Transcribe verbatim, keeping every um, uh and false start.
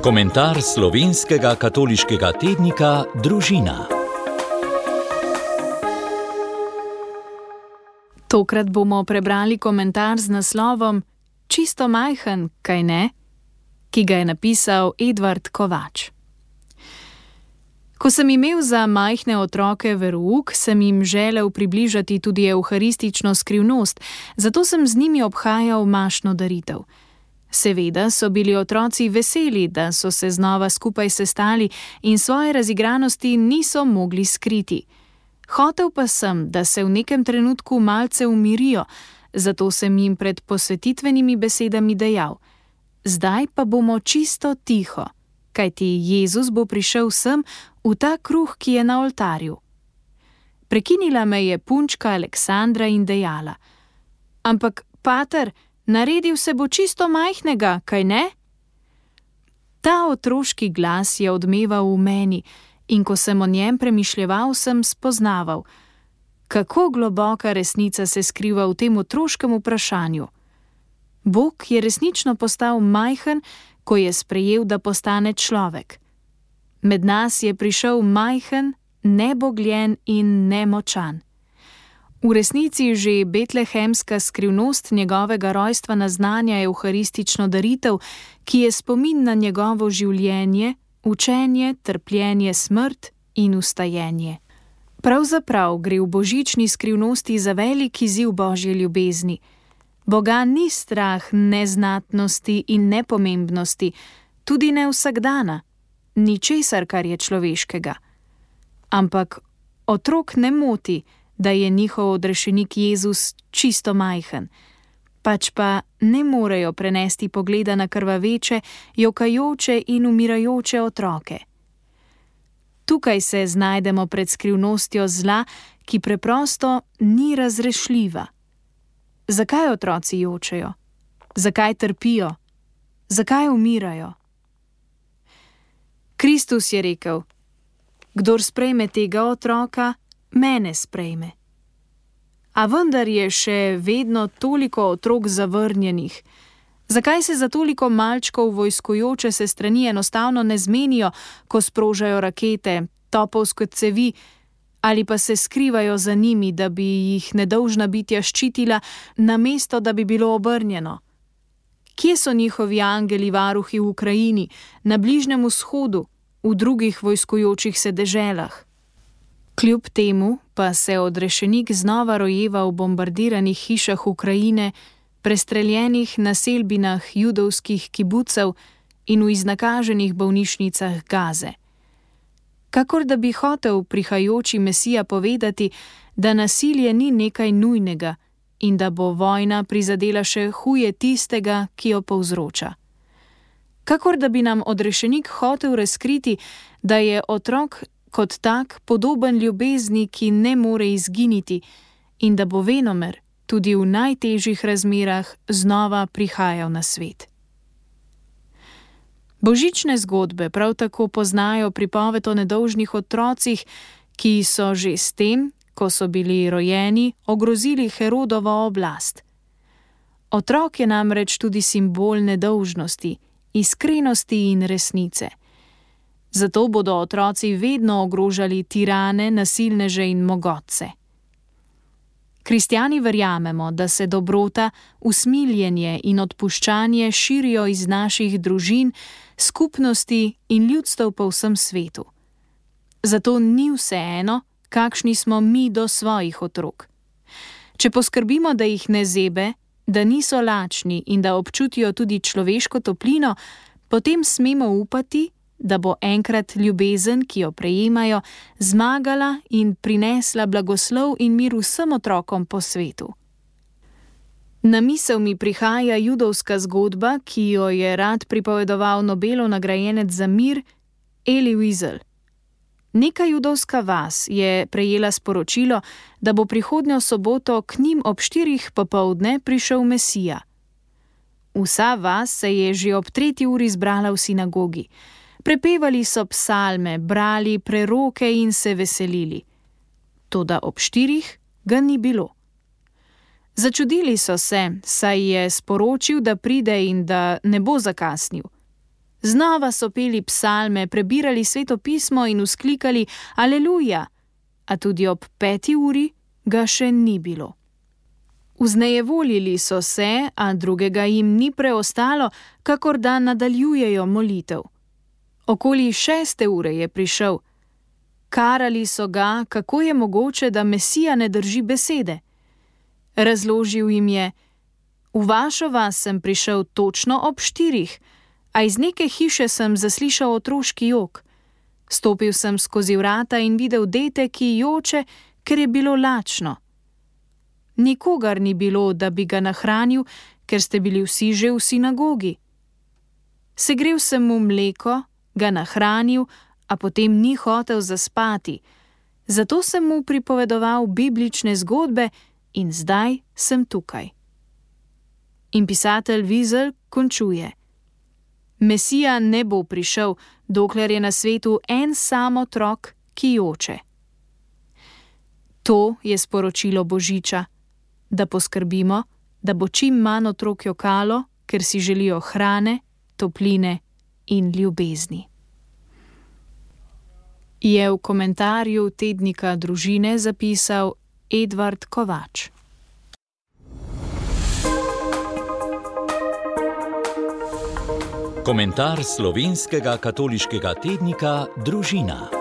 Komentar slovenskega katoliškega tednika Družina. Tokrat bomo prebrali komentar z naslovom Čisto majhen, kaj ne?, ki ga je napisal Edvard Kovač. Ko sem imel za majhne otroke verouk, sem jim želel približati tudi evharistično skrivnost, zato sem z njimi obhajal mašno daritev. Seveda so bili otroci veseli, da so se znova skupaj sestali in svoje razigranosti niso mogli skriti. Hotel pa sem, da se v nekem trenutku malce umirijo, zato sem jim pred posvetitvenimi besedami dejal: zdaj pa bomo čisto tiho, kajti Jezus bo prišel sem v ta kruh, ki je na oltarju. Prekinila me je punčka Aleksandra in dejala: ampak, pater, naredil se bo čisto majhnega, kaj ne? Ta otroški glas je odmeval v meni in ko sem o njem premišljeval, sem spoznaval, kako globoka resnica se skriva v tem otroškem vprašanju. Bog je resnično postal majhen, ko je sprejel, da postane človek. Med nas je prišel majhen, nebogljen in nemočan. V resnici že betlehemska skrivnost njegovega rojstva naznanja evharistično daritev, ki je spomin na njegovo življenje, učenje, trpljenje, smrt in vstajenje. Pravzaprav gre v božični skrivnosti za velik izziv Božje ljubezni. Boga ni strah neznatnosti in nepomembnosti, tudi ne vsakdana, ničesar, kar je človeškega. Ampak otrok ne moti, da je njihov odrešenik Jezus čisto majhen, pač pa ne morejo prenesti pogleda na krvaveče, jokajoče in umirajoče otroke. Tukaj se znajdemo pred skrivnostjo zla, ki preprosto ni razrešljiva. Zakaj otroci jočejo? Zakaj trpijo? Zakaj umirajo? Kristus je rekel: kdor sprejme tega otroka, mene sprejme. A vendar je še vedno toliko otrok zavrnjenih. Zakaj se za toliko malčkov vojskujoče se strani enostavno ne zmenijo, ko sprožajo rakete, topovske cevi, ali pa se skrivajo za njimi, da bi jih nedolžna bitja ščitila, namesto da bi bilo obrnjeno? Kje so njihovi angeli varuhi v Ukrajini, na Bližnjem vzhodu, v drugih vojskujočih se deželah? Kljub temu pa se odrešenik znova rojeva v bombardiranih hišah Ukrajine, prestreljenih naselbinah judovskih kibucev in v iznakaženih bolnišnicah Gaze. Kakor da bi hotel prihajajoči Mesija povedati, da nasilje ni nekaj nujnega in da bo vojna prizadela še huje tistega, ki jo povzroča. Kakor da bi nam odrešenik hotel razkriti, da je otrok kot tak podoben ljubezni, ki ne more izginiti, in da bo venomer tudi v najtežjih razmerah znova prihajal na svet. Božične zgodbe prav tako poznajo pripoved o nedolžnih otrocih, ki so že s tem, ko so bili rojeni, ogrozili Herodovo oblast. Otrok je namreč tudi simbol nedolžnosti, iskrenosti in resnice. Zato bodo otroci vedno ogrožali tirane, nasilneže in mogotce. Kristjani verjamemo, da se dobrota, usmiljenje in odpuščanje širijo iz naših družin, skupnosti in ljudstev po vsem svetu. Zato ni vseeno, kakšni smo mi do svojih otrok. Če poskrbimo, da jih ne zebe, da niso lačni in da občutijo tudi človeško toplino, potem smemo upati, da bo enkrat ljubezen, ki jo prejemajo, zmagala in prinesla blagoslov in mir vsem otrokom po svetu. Na misel mi prihaja judovska zgodba, ki jo je rad pripovedoval Nobelov nagrajenec za mir Elie Wiesel. Neka judovska vas je prejela sporočilo, da bo prihodnjo soboto k njim ob štirih popoldne prišel Mesija. Vsa vas se je že ob tretji uri zbrala v sinagogi. Prepevali so psalme, brali preroke in se veselili. Toda ob štirih ga ni bilo. Začudili so se, saj je sporočil, da pride in da ne bo zakasnil. Znova so peli psalme, prebirali Sveto pismo in vzklikali Aleluja, a tudi ob peti uri ga še ni bilo. Vznejevoljili so se, a drugega jim ni preostalo, kakor da nadaljujejo molitev. Okoli šeste ure je prišel. Karali so ga, kako je mogoče, da Mesija ne drži besede. Razložil jim je: v vašo vas sem prišel točno ob štirih, a iz neke hiše sem zaslišal otroški jok. Stopil sem skozi vrata in videl dete, ki joče, ker je bilo lačno. Nikogar ni bilo, da bi ga nahranil, ker ste bili vsi že v sinagogi. Segrel sem mu mleko, ga nahranil, a potem ni hotel zaspati. Zato sem mu pripovedoval biblične zgodbe in zdaj sem tukaj. In pisatelj Wiesel končuje: Mesija ne bo prišel, dokler je na svetu en sam otrok, ki joče. To je sporočilo Božiča, da poskrbimo, da bo čim manj otrok jokalo, ker si želijo hrane, topline in ljubezni. Je v komentarju tednika Družine zapisal Edvard Kovač. Komentar slovenskega katoliškega tednika Družina.